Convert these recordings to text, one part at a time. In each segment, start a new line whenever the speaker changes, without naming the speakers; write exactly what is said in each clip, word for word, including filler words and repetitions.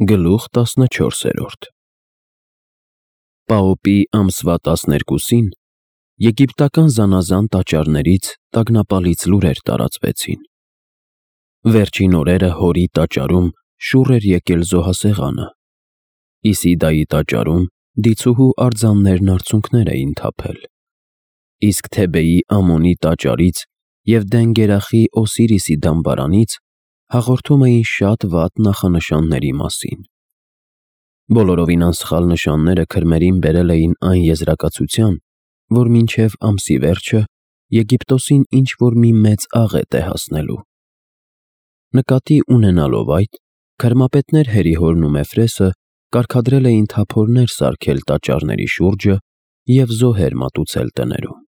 Գլուխ տասնչորսերորդ Պաոպի ամսվա տասներկուսին եգիպտական զանազան տաճարներից տագնապալից լուրեր տարածվեցին. վերջին օրերը Հորի տաճարում շուռ էր եկել զոհասեղանը, Իսիդայի տաճարում դիցուհու արձաններն արցունքներ էին թափել, իսկ Թեբեի Ամոնի տաճարից և Դեն-Գերախի Օսիրիսի դամբարանից հաղորդում էին շատ վատ նախանշանների մասին։ Բոլորովին անսխալ նշանները քրմերին բերել էին այն եզրակացության, որ մինչև ամսի վերջը Եգիպտոսին ինչ-որ մի մեծ աղետ է հասնելու։ Նկատի ունենալով այդ, քրմապետներ Հերիհորն ու Մեֆրեսը կարգադրել էին թափորներ սարքել տաճարների շուրջը և զոհեր մատուցել տներում։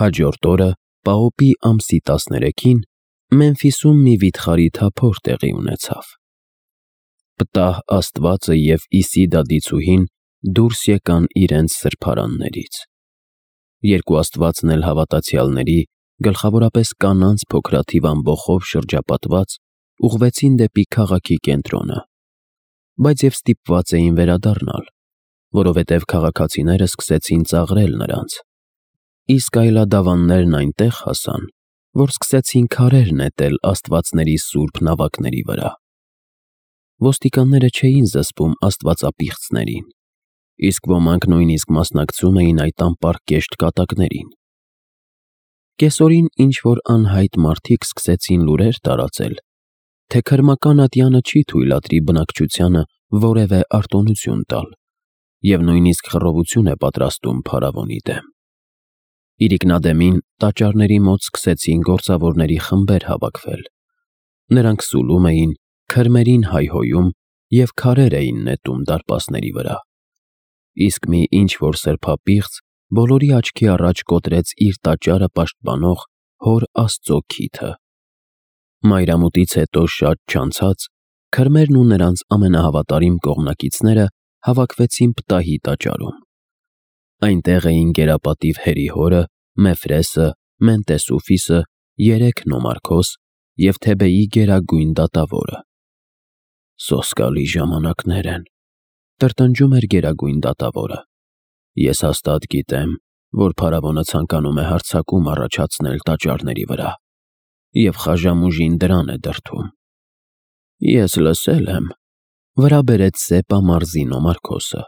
Հաջորդ օրը Պաոպի ամսի տասներեքին Մեմֆիսում մի վիթխարի թափոր տեղի ունեցավ։ Պտահ Աստվածը և Իսիդա դիցուհին դուրս եկան իրենց սրբարաններից։ Երկու աստվածն էլ հավատացյալների, գլխավորապես կանանց փոքրաթիվ ամբոխով շրջապատված, ուղղվեցին դեպի քաղաքի կենտրոնը, բայց և ստիպված էին վերադառնալ, որովհետև քաղաքացիները սկսեցին ծաղրել նրանց, իսկ այլադավաններն այնտեղ հասան, որ սկսեցին քարեր նետել աստվածների սուրբ նավակների վրա։ Ոստիկանները չէին զսպում աստվածապիղծներին, իսկ ոմանք նույնիսկ մասնակցում էին այդ անպարկեշտ կատակներին։ Կեսօրին ինչ-որ անհայտ մարդիկ սկսեցին լուրեր տարածել, թե քրմական ատյանը չի թույլատրի բնակչությանը որևէ արտոնություն տալ և նույնիսկ խռովություն է պատրաստում փարավոնի դեմ։ Իրիկնադեմին տաճարների մոտ սկսեցին գործավորների խմբեր հավաքվել։ Նրանք սուլում էին, քրմերին հայհոյում և քարեր էին նետում դարպասների վրա, իսկ մի ինչ-որ սրբապիղծ բոլորի աչքի առաջ կոտրեց իր տաճարը պաշտպանող Հոր Աստծո քիթը։ Մայրամուտից հետո շատ չանցած քրմերն ու նրանց ամենահավատարիմ կողմնակիցները հավաքվեցին Պտահի տաճարում։ Այնտեղ էին գերապատիվ Հերիհորը, Մեֆրեսը, Մենտեսուֆիսը, երեք նոմարքոս և Թեբեի գերագույն դատավորը։ «Սոսկալի ժամանակներ են», տրտնջում էր գերագույն դատավորը։ «Ես հաստատ գիտեմ, որ փարավոնը ցանկանում է հարձակում առաջացնել տաճարների վրա և խաժամուժին դրան է դրդում»։ «Ես լսել եմ», վրա բերեց Սեպա մարզի նոմարքոսը,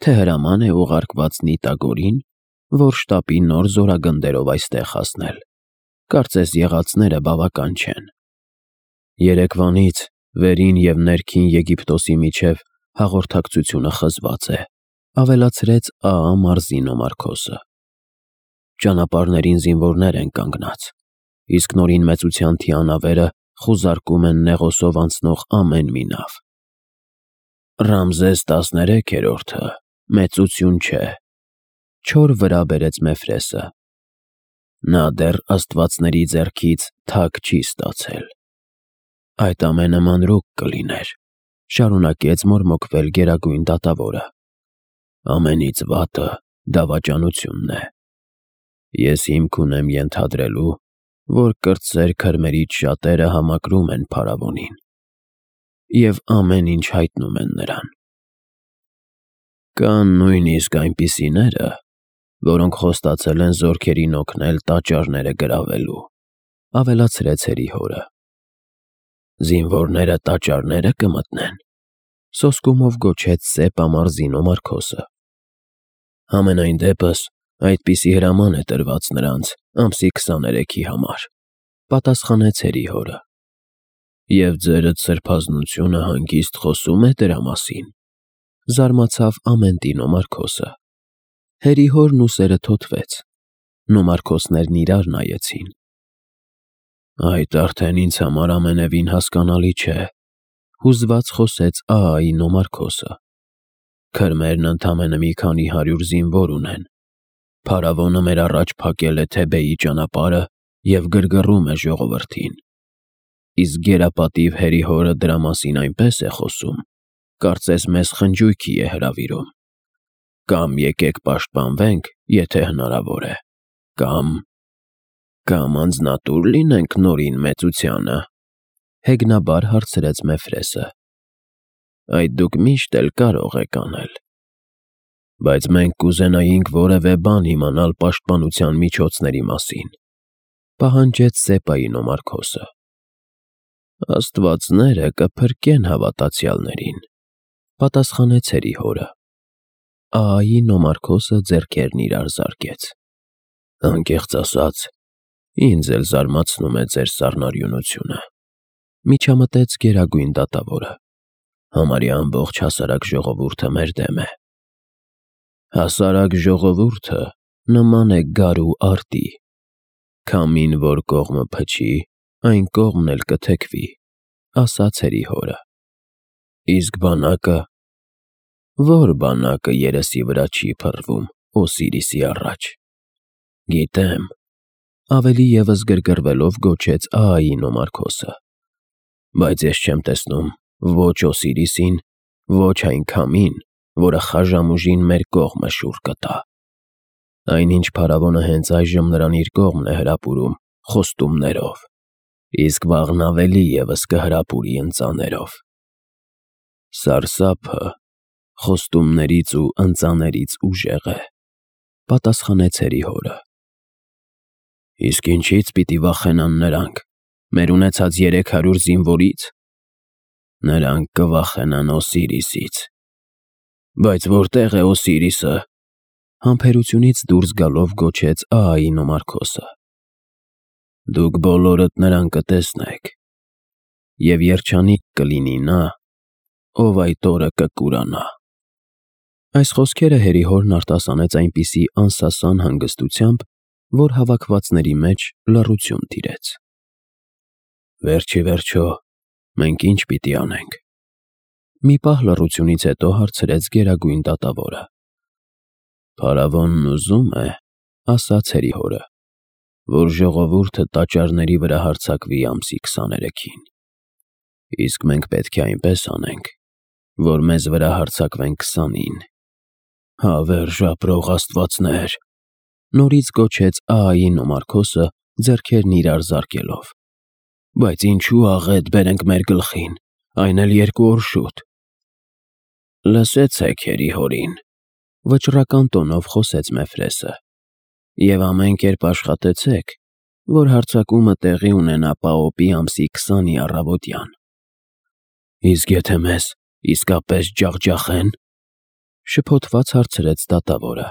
«թե հրաման է ուղարկված Նիտագորին, որ շտապի նոր զորագնդերով այստեղ հասնել։ Կարծես եղածները բավական չեն»։ «Երեկվանից վերին և ներքին Եգիպտոսի միջև հաղորդակցությունը խզված է», ավելացրեց Աա մարզի նոմարքոսը։ «Ճանապարհներին զինվորներ են կանգնած, իսկ Նորին մեծության թիանավերը խուզարկում են Նեղոսով անցնող ամեն մի նավ»։ «Ռամզես տասներեքերորդը մեծություն չէ», չոր վրա բերեց Մեֆրեսը։ «Նա դեռ աստվածների ձեռքից թագ չի ստացել»։ «Այդ ամենը մանրուք կլիներ», շարունակեց մորմոքվել գերագույն դատավորը։ «Ամենից վատը դավաճանությունն է։ Ես հիմք ունեմ ենթադրելու, որ կրտսեր քրմերից շատերը համակրում են փարավոնին և ամեն ինչ հայտնում են նրան։ Կան նույնիսկ այնպիսիները, որոնք խոստացել են զորքերին օգնել տաճարները գրավելու», ավելացրեց Հերիհորը։ «Զինվորները տաճարները կմտնեն», սոսկումով գոչեց Սեպա մարզի նոմարքոսը։ «Համենայն դեպս այդպիսի հրաման է տրված նրանց ամսի քսաներեքի համար», պատասխանեց Հերիհորը։ «Եվ ձերդ սրբազնությունը հանգիստ խոսում է դրա մասին», զարմացավ Ամենտի նոմարքոսը։ Հերիհորն ուսերը թոթվեց։ Նոմարքոսներն իրար նայեցին։ «Այդ արդեն ինձ համար ամենևին հասկանալի չէ», հուզված խոսեց Աայի նոմարքոսը։ «Քրմերն ընդամենը մի քանի հարյուր զինվոր ունեն։ Փարավոնը մեր առաջ փակել է Թեբեի ճանապարհը և գրգռում է ժողովրդին։ Իսկ գերապատիվ Հերիհորը դրա մասին այնպես է խոսում, կարծես մեզ խնջույքի է հրավիրում։ Կամ եկեք պաշտպանվենք, եթե հնարավոր է, կամ… կամ անձնատուր լինենք Նորին մեծությանը», հեգնաբար հարցրեց Մեֆրեսը։ այդ դուք միշտ էլ կարող եք անել։ Բայց մենք կուզենայինք որևէ բան իմանալ պաշտպանության միջոցների մասին, պահանջեց Սեպայի Նոմարքոսը։ Աստվածները կփրկեն հավատացյալներին, պատասխանեց հերիհորը։ Ահայի Նոմարքոսը ձեռքերն իրար զարկեց։ Անկեղծ ասած, ինձ էլ զարմացնում է ձեր սառնարյունությունը, միջամտեց Գերագույն դատավորը։ Համարյա ամբողջ հասարակ ժողովուրդը մեր դեմ է։ Հասարակ ժողովուրդը նման է գարու արտի, քամին որ կողմը փչի, այն կողմն էլ կթեքվի, ասաց հերիհորը։ Իսկ բանակը, որ բանակը երեսի վրա չի փռվում Օսիրիսի առաջ։ Գիտեմ, ավելի ևս գրգռվելով գոչեց Ահայի Նոմարքոսը, բայց ես չեմ տեսնում ոչ Օսիրիսին, ոչ այն քամին, որը խաժամուժին մեր կողմը շուռ կտա։ Այնինչ փարավոնը հենց այժմ նրան իր կողմն է հրապուրում խոստումներով, իսկ վաղն ավելի ևս կհրապուրի ընծաներով։ Սարսափը խոստումներից ու ընծաներից ուժեղ է, պատասխանեց հերիհորը։ Իսկ ինչից պիտի վախենան նրանք, մեր ունեցած երեք հարյուր զինվորի՞ց։ Նրանք կվախենան Օսիրիսից։ Բայց որտե՞ղ է Օսիրիսը, համբերությունից դուրս գալով գոչեց Ահայի Նոմարքոսը։ Դուք բոլորդ նրան կտեսնեք, և երջանիկ կլինի նա, ով այդ օրը կկուրանա։ Այս խոսքերը հերիհորն արտասանեց այնպիսի անսասան հանգստությամբ, որ հավաքվածների մեջ լռություն տիրեց։ Վերջ ի վերջո, մենք ի՞նչ պիտի անենք, մի պահ լռությունից հետո հարցրեց Գերագույն դատավորը։ Փարավոնն ուզում է, ասաց հերիհորը, որ ժողովուրդը տաճարների վրա հարձակվի ամսի քսաներեքին։ Իսկ մենք պետք է այնպես անենք, որ մեզ վրա հարձակվեն քսանին։ Հավերժ ապրող աստվածներ, նորից գոչեց Ահայի Նոմարքոսը ձեռքերն իրար զարկելով։ Բայց ինչու աղետ բերենք մեր գլխին, այն էլ երկու օր շուտ։ Լսեցեք հերիհորին, վճռական տոնով խոսեց Մեֆրեսը, և ամեն կերպ աշխատեցեք, որ հարձակումը տեղի ունենա Պաոպի ամսի քսանի առավոտյան։ Իսկ եթե մեզ իսկապես ջախջախեն, շփոթված հարցրեց դատավորը։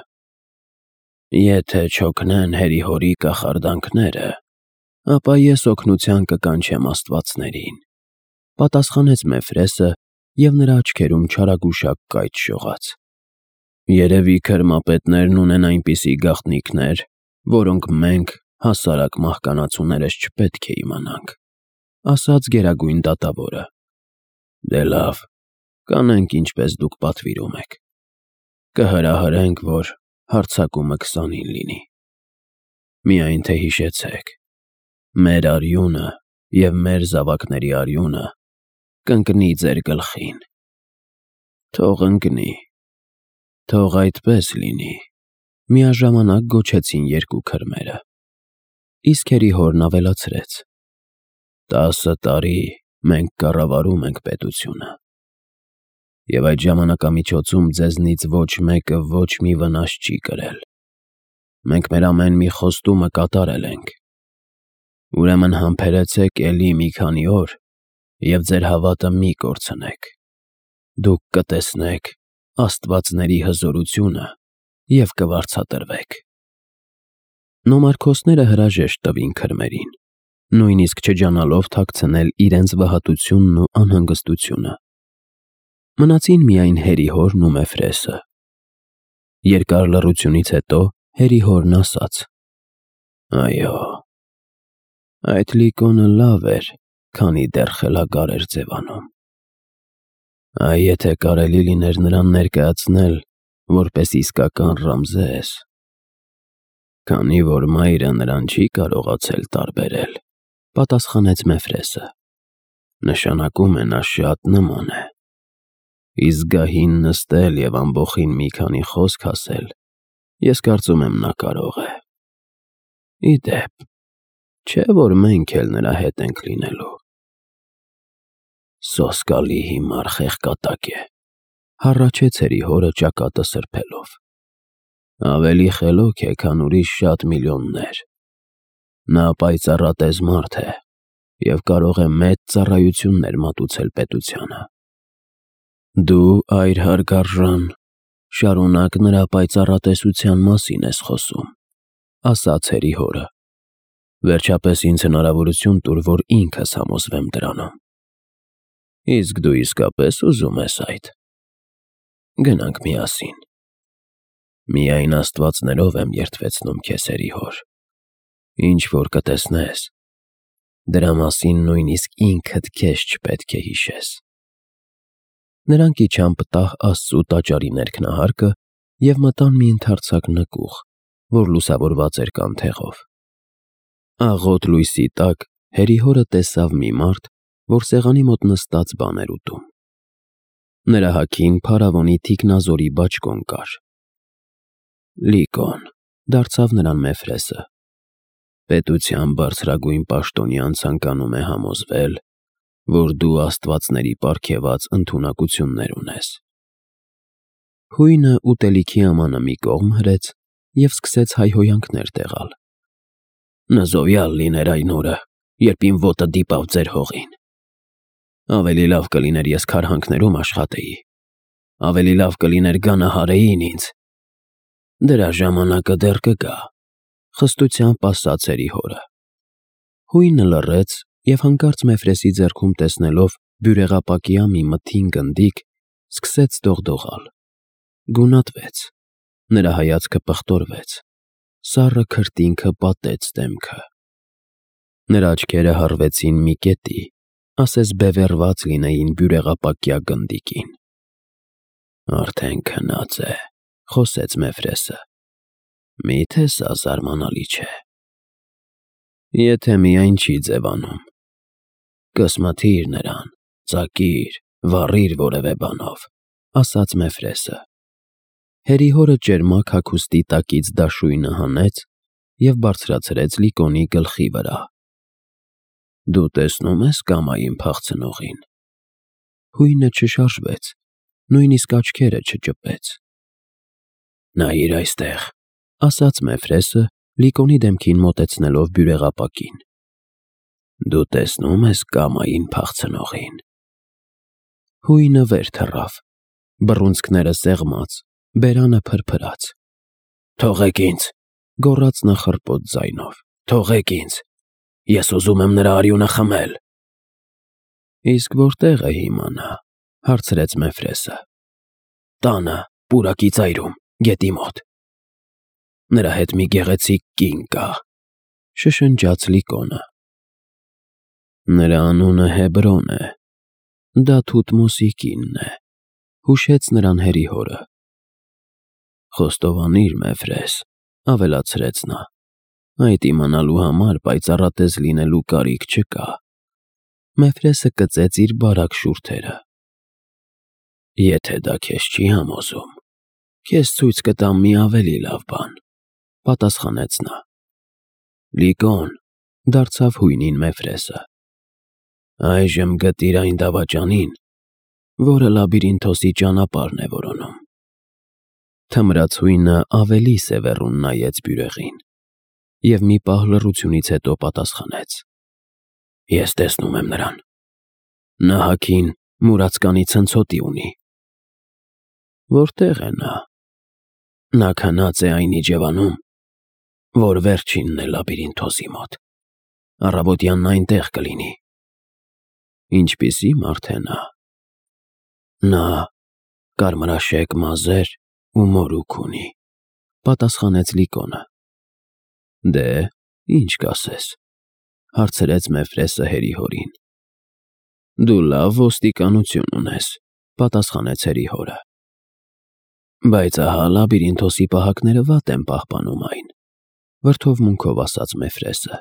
Եթե չօգնեն հերիհորի կախարդանքները, ապա ես օգնության կկանչեմ աստվածներին, պատասխանեց Մեֆրեսը, և նրա աչքերում չարագուշակ կայծ շողաց։ Երևի քրմապետներն ունեն այնպիսի գաղտնիքներ, որոնք մենք, հասարակ մահկանացուներս չպետք է իմանանք, ասաց Գերագույն դատավորը։ Դե լավ, կանենք ինչպես դուք պատվիրում եք։ Կհրահրենք, որ հարձակումը քսանին լինի։ Միայն թե հիշեցեք, մեր արյունը և մեր զավակների արյունը կընկնի ձեր գլխին։ Թող ընկնի, թող այդպես լինի, միաժամանակ գոչեցին երկու քրմերը։ Իսկ հերիհորն ավելացրեց. Տասը տարի մենք կառավարում ենք պետությունը, և այդ ժամանակամիջոցում ձեզնից ոչ մեկը ոչ մի վնաս չի կրել։ Մենք մեր ամեն մի խոստումը կատարել ենք։ Ուրեմն համբերեցեք էլի մի քանի օր և ձեր հավատը մի կորցնեք։ Դուք կտեսնեք աստվածների հզորությունը և կվարձատրվեք։ Նոմարքոսները հրաժեշտ տվին քրմերին, նույնիսկ չջանալով թաքցնել իրենց վհատությունն ու անհանգստությունը։ Մնացին միայն հերիհորն ու Մեֆրեսը։ Երկար լռությունից հետո հերիհորն ասաց. Այո, այդ Լիկոնը լավ էր, քանի դեռ խելագար էր ձևանում։ Այ եթե կարելի լիներ նրան ներկայացնել որպես իսկական Ռամզես, քանի որ մայրը նրան չի կարողացել տարբերել, պատասխանեց Մեֆրեսը։ Նշանակում է նա շատ նման է։ Իսկ գահին նստել և ամբոխին մի քանի խոսք ասել, ես կարծում եմ նա կարող է։ Ի դեպ, չէ՞ որ մենք էլ նրա հետ ենք լինելու։ Սոսկալի հիմար խեղկատակ է, հառաչեց հորը ճակատը սրբելով։ Ավելի խելոք է, քան ուրիշ շատ միլիոններ։ Նա պայծառատես մարդ է և կարող է մեծ ծառայություններ մատուցել պետությանը։ Դու, այր հարգարժան, շարունակ նրա պայծառատեսության մասին ես խոսում, ասաց հորը։ Վերջապես ինձ հնարավորություն տուր, որ ինքս համոզվեմ դրանում։ Իսկ դու իսկապես ուզում ես այդ։ Գնանք միասին։ Միայն աստվածներով եմ երդվեցնում քեզ, հոր։ Ինչ որ կտեսնես, դրա մասին նույնիսկ ինքդ քեզ չպետք է հիշես։ Նրանք իջան պտահ Աստծու տաճարի ներքնահարկը և մտան մի ընդարձակ նկուղ, որ լուսավորված էր կանթեղով։ Աղոտ լույսի տակ հորը տեսավ մի մարդ, որ սեղանի մոտ նստած բան էր ուտում։ Նրա հագին փարավոնի թիկնազորի բաճկոն կար։ Լիկոն, դարձավ նրան Մեֆրեսը, պետության բարձրագույն պաշտոնյան ցանկանում է համոզվել, որ դու աստվածների պարգևած ընդունակություններ ունես։ Հույնը ուտելիքի ամանը մի կողմ հրեց և սկսեց հայհոյանքներ տեղալ։ Նզովյալ լիներ այն օրը, երբ իմ ոտը դիպավ ձեր հողին։ Ավելի լավ կլիներ ես քարհանքներում աշխատեի, ավելի լավ կլիներ գանահարեին ինձ։ Դրա ժամանակը դեռ կգա, խստությամբ ասաց հորը։ Հույնը լռեց և հանկարծ Մեֆրեսի ձեռքում տեսնելով բյուրեղապակյա մի մթին գնդիկ, սկսեց դողդողալ։ Գունատվեց, նրա հայացքը պղտորվեց, սառը քրտինքը պատեց դեմքը։ Նրա աչքերը հառվեցին մի կետի, ասես բևեռված լինեին բյուրեղապակյա գնդիկին։ Արդեն քնած է, խոսեց Մեֆրեսը։ Մի՞թե սա զարմանալի չէ։ Եթե միայն չի ձևանում։ Կսմթիր նրան, ծակիր, վառիր որևէ բանով, ասաց Մեֆրեսը։ Հորը ճերմակ հագուստի տակից դաշույնը հանեց և բարձրացրեց Լիկոնի գլխի վրա։ Դու տեսնո՞ւմ ես կամային փախցնողին։ Հույնը չշարժվեց, նույնիսկ աչքերը չճպեց։ Նայիր այստեղ, ասաց Մեֆրեսը, Լիկոնի դեմքին մոտեցնելով բյուրեղապակին։ Դու տեսնո՞ւմ ես կամային փախցնողին։ Հույնը վեր թռավ, բռունցքները սեղմած, բերանը փրփրաց։ Թողեք ինձ, գոռաց նա խռպոտ ձայնով, թողեք ինձ, ես ուզում եմ նրա արյունը խմել։ Իսկ որտե՞ղ է հիմա նա, հարցրեց Մեֆրեսը։ Տանը, պուրակի ծայրում, գետի մոտ։ Նրա հետ մի գեղեցիկ կին կա, շշնջաց Լիկոնը։ Նրա անունը Հեբրոն է, դա Թութմոսի կինն է, հուշեց նրան հորը։ Խոստովանիր, Մեֆրես, ավելացրեց նա, այդ իմանալու համար պայծառատես լինելու կարիք չկա։ Մեֆրեսը կծեց իր բարակ շուրթերը։ Եթե դա քեզ չի համոզում, քեզ ցույց կտամ մի ավելի լավ բան, պատասխանեց նա։ Լիկոն, դարձավ հույնին Մեֆրեսը, այժմ գտիր այն դավաճանին, որը Լաբիրինթոսի ճանապարհն է որոնում։ Թմրած հույնը ավելի սևեռուն նայեց բյուրեղին և մի պահ լռությունից հետո պատասխանեց. Ես տեսնում եմ նրան։ Նա հագին մուրացկանի ցնցոտի ունի։ Որտե՞ղ է նա։ Նա քնած է այն իջևանում, որ վերջինն է Լաբիրինթոսի մոտ։ Առավոտյան նա այնտեղ կլինի։ Ինչպիսի՞ մարդ է նա։ Նա կարմրաշեկ մազեր ու մորուք ունի, պատասխանեց Լիկոնը։ Դե, ի՞նչ կասես, հարցրեց Մեֆրեսը հորին։ Դու լավ ոստիկանություն ունես, պատասխանեց հորը։ Բայց ահա Լաբիրինթոսի պահակները վատ են պահպանում այն, վրդովմունքով ասաց Մեֆրեսը։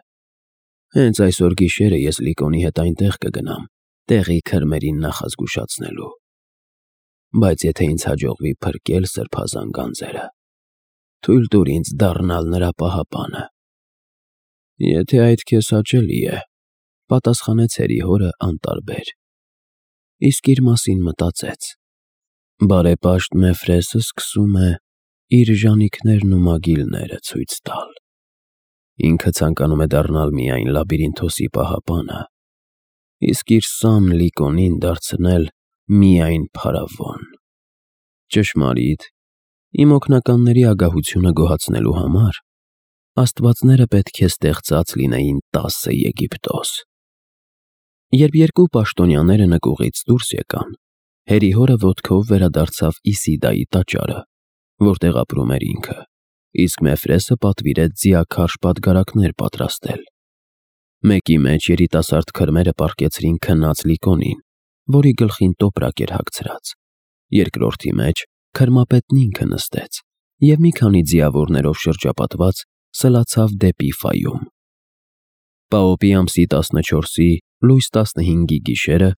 Հենց այսօր գիշերը ես Լիկոնի հետ այնտեղ կգնամ, տեղի քրմերին նախազգուշացնելու։ Բայց եթե ինձ հաջողվի փրկել սրբազան գանձերը, թույլ տուր ինձ դառնալ նրա պահապանը։ Եթե այդ քեզ հաճելի է, պատասխանեց հորը անտարբեր։ իսկ իր մասին մտածեց. բարեպաշտ Մեֆրեսը սկսում է իր ժանիքներն ու մագիլները ցույց տալ։ Ինքը ցանկանում է դառնալ միայն Լաբիրինթոսի պահապանը, իսկ իր սան Լիկոնին դարձնել միայն փարավոն։ Ճշմարիտ, իմ օգնականների ագահությունը գոհացնելու համար աստվածները պետք է ստեղծած լինեին տասը Եգիպտոս։ Երբ երկու պաշտոնյաները նկուղից դուրս եկան, Հերիհորը ոտքով վերադարձավ Իսիդայի տաճարը, որտեղ ապրում էր ինքը, իսկ Մեֆրեսը պատվիրեց ձիաքարշ պատգարակներ պատրաստել։ Մեկի մեջ երիտասարդ քրմերը պառկեցրին քնած Լիկոնին, որի գլխին տոպրակ էր հագցրած, երկրորդի մեջ քրմապետն ինքը նստեց և մի քանի ձիավորներով շրջապատված սլացավ դեպի Ֆայում։ Պաոպի ամսի տասնչորսի լույս տասնհինգի գիշերը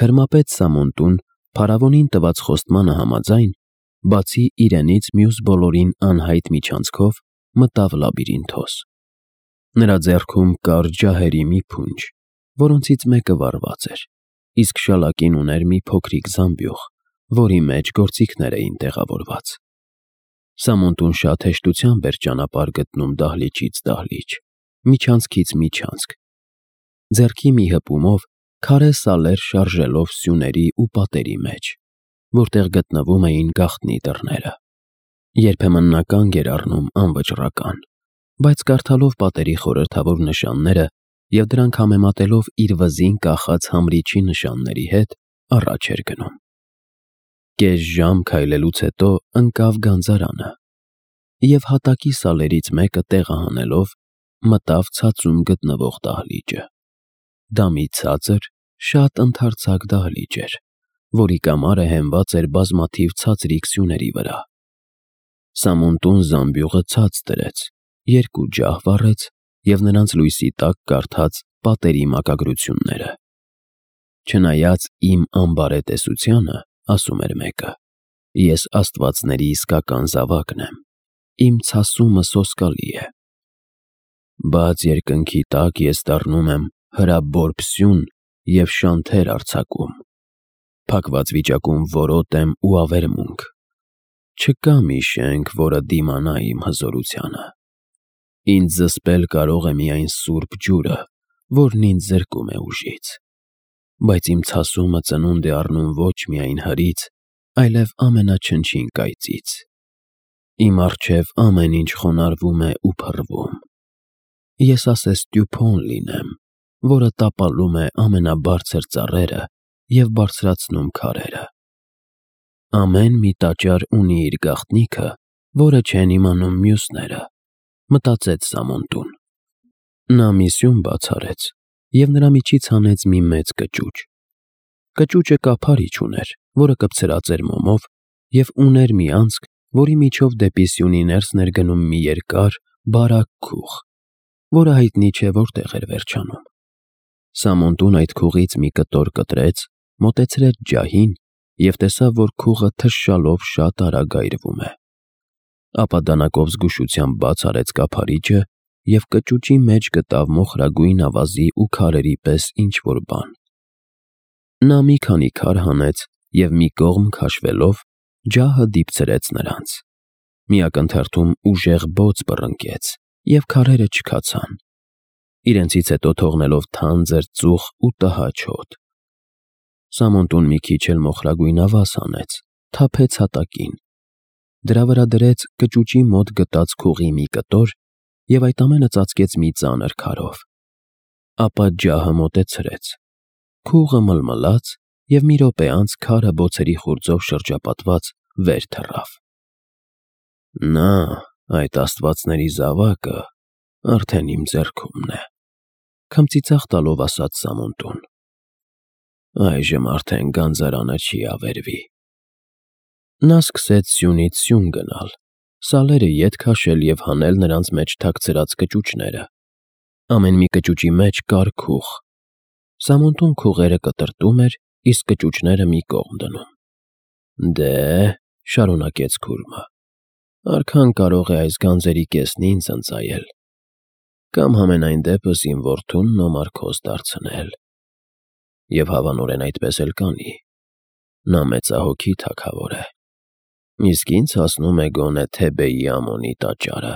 քրմապետ Սամոնտուն փարավոնին տված խոստմանը համաձայն, բացի իրենից մյուս բոլորին անհայտ միջանցքով մտավ Լաբիրինթոս։ Նրա ձեռքում կար ջահերի մի փունջ, որոնցից մեկը վառված էր, իսկ շալակին ուներ մի փոքրիկ զամբյուղ, որի մեջ գործիքներ էին տեղավորված։ Սամոնտուն շատ հեշտությամբ էր ճանապարհ գտնում դահլիճից դահլիճ, միջանցքից միջանցք, ձեռքի մի հպումով քարե սալեր շարժելով սյուների ու պատերի մեջ, որտեղ գտնվում էին գաղտնի դռները։ Երբեմն նա կանգ էր առնում անվճռական, բայց կարդալով պատերի խորհրդավոր նշանները և դրանք համեմատելով իր վզին կախած համրիչի նշանների հետ, առաջ էր գնում։ Կես ժամ քայլելուց հետո ընկավ գանձարանը և հատակի սալերից մեկը տեղը հանելով մտավ ցածում գտնվող դահլիճը։ Դա մի ցածր, շատ ընդարձակ դահլիճ էր, որի կամարը հենված էր բազմաթիվ ցածրիկ սյուների վրա։ Սամոնտուն զամբյուղը ցած դրեց, երկու ջահ վառեց և նրանց լույսի տակ կարդաց պատերի մակագրությունները։ Չնայած իմ անբարետեսությանը, ասում էր մեկը, ես աստվածների իսկական զավակն եմ, իմ ցասումը սոսկալի է։ Բաց երկնքի տակ ես դառնում եմ հրաբորբ սյուն և շանթեր արձակում, փակված վիճակում որոտ եմ ու ավերմունք, չկա մի շենք, որը դիմանա իմ հզորությանը։ Ինձ զսպել կարող է միայն սուրբ ջուրը, որն ինձ զրկում է ուժից, բայց իմ ցասումը ծնունդ է առնում ոչ միայն հրից, այլև ամենաչնչին կայծից։ Իմ առջև ամեն ինչ խոնարհվում է ու փռվում։ Ես ասես տյուփոն լինեմ, որը տապալում է ամենաբարձր ծառերը և բարձրացնում քարերը։ Ամեն մի տաճար ունի իր գաղտնիքը, որը չեն իմանում մյուսները, մտածեց Սամոնտուն։ Նա մի սյուն բաց արեց և նրա միջից հանեց մի մեծ կճուճ։ Կճուճը կափարիչ ուներ, որը կպցրած էր մոմով և ուներ մի անցք, որի միջով դեպի սյունի ներսն էր գնում մի երկար, բարակ քուղ, որը հայտնի չէ որտեղ էր վերջանում։ Սամոնտուն այդ քուղից մի կտոր կտրեց, մոտեցրեց ջահին և տեսավ, որ քուղը թշշալով շատ արագ այրվում է։ Ապա դանակով զգուշությամբ բաց արեց կափարիչը և կճուճի մեջ գտավ մոխրագույն ավազի ու քարերի պես ինչ-որ բան։ Նա մի քանի քար հանեց և մի կողմ քաշվելով ջահը դիպցրեց նրանց։ Մի ակնթարթում ուժեղ բոծ բռնկեց, և քարերը չքացան, իրենցից հետո թողնելով թանձր ծուխ ու տհաճ հոտ։ Սամոնտուն մի քիչ էլ մոխրագույն ավազ հանեց, թափեց հատակին, դրա վրա դրեց կճուճի մոտ գտած քուղի մի կտոր և այդ ամենը ծածկեց մի ծանր քարով։ Ապա ջահը մոտեցրեց, քուղը մլմլաց և մի րոպե անց քարը բոցերի խուրձով շրջապատված վեր թռավ։ Նա, այդ աստվածների զավակը, արդեն իմ ձեռքումն է, քմծիծաղ տալով ասաց Սամոնտուն։ Այժմ արդեն գանձարանը չի ավերվի։ Նա սկսեց սյունից սյուն գնալ, սալերը ետ քաշել և հանել նրանց մեջ թաքցրած կճուճները։ Ամեն մի կճուճի մեջ կար քուղ։ Սամոնտուն քուղերը կտրտում էր, իսկ կճուճները մի կողմ դնում։ Դե՛, շարունակեց քուրմը, արքան կարող է այս գանձերի կեսն ինձ ընծայել, կամ համենայն դեպս իմ որդուն Նոմարքոս դարձնել։ և հավանորեն այդպես էլ կանի։ Նա մեծահոգի թագավոր է, իսկ ինձ հասնում է գոնե Թեբեի Ամոնի տաճարը։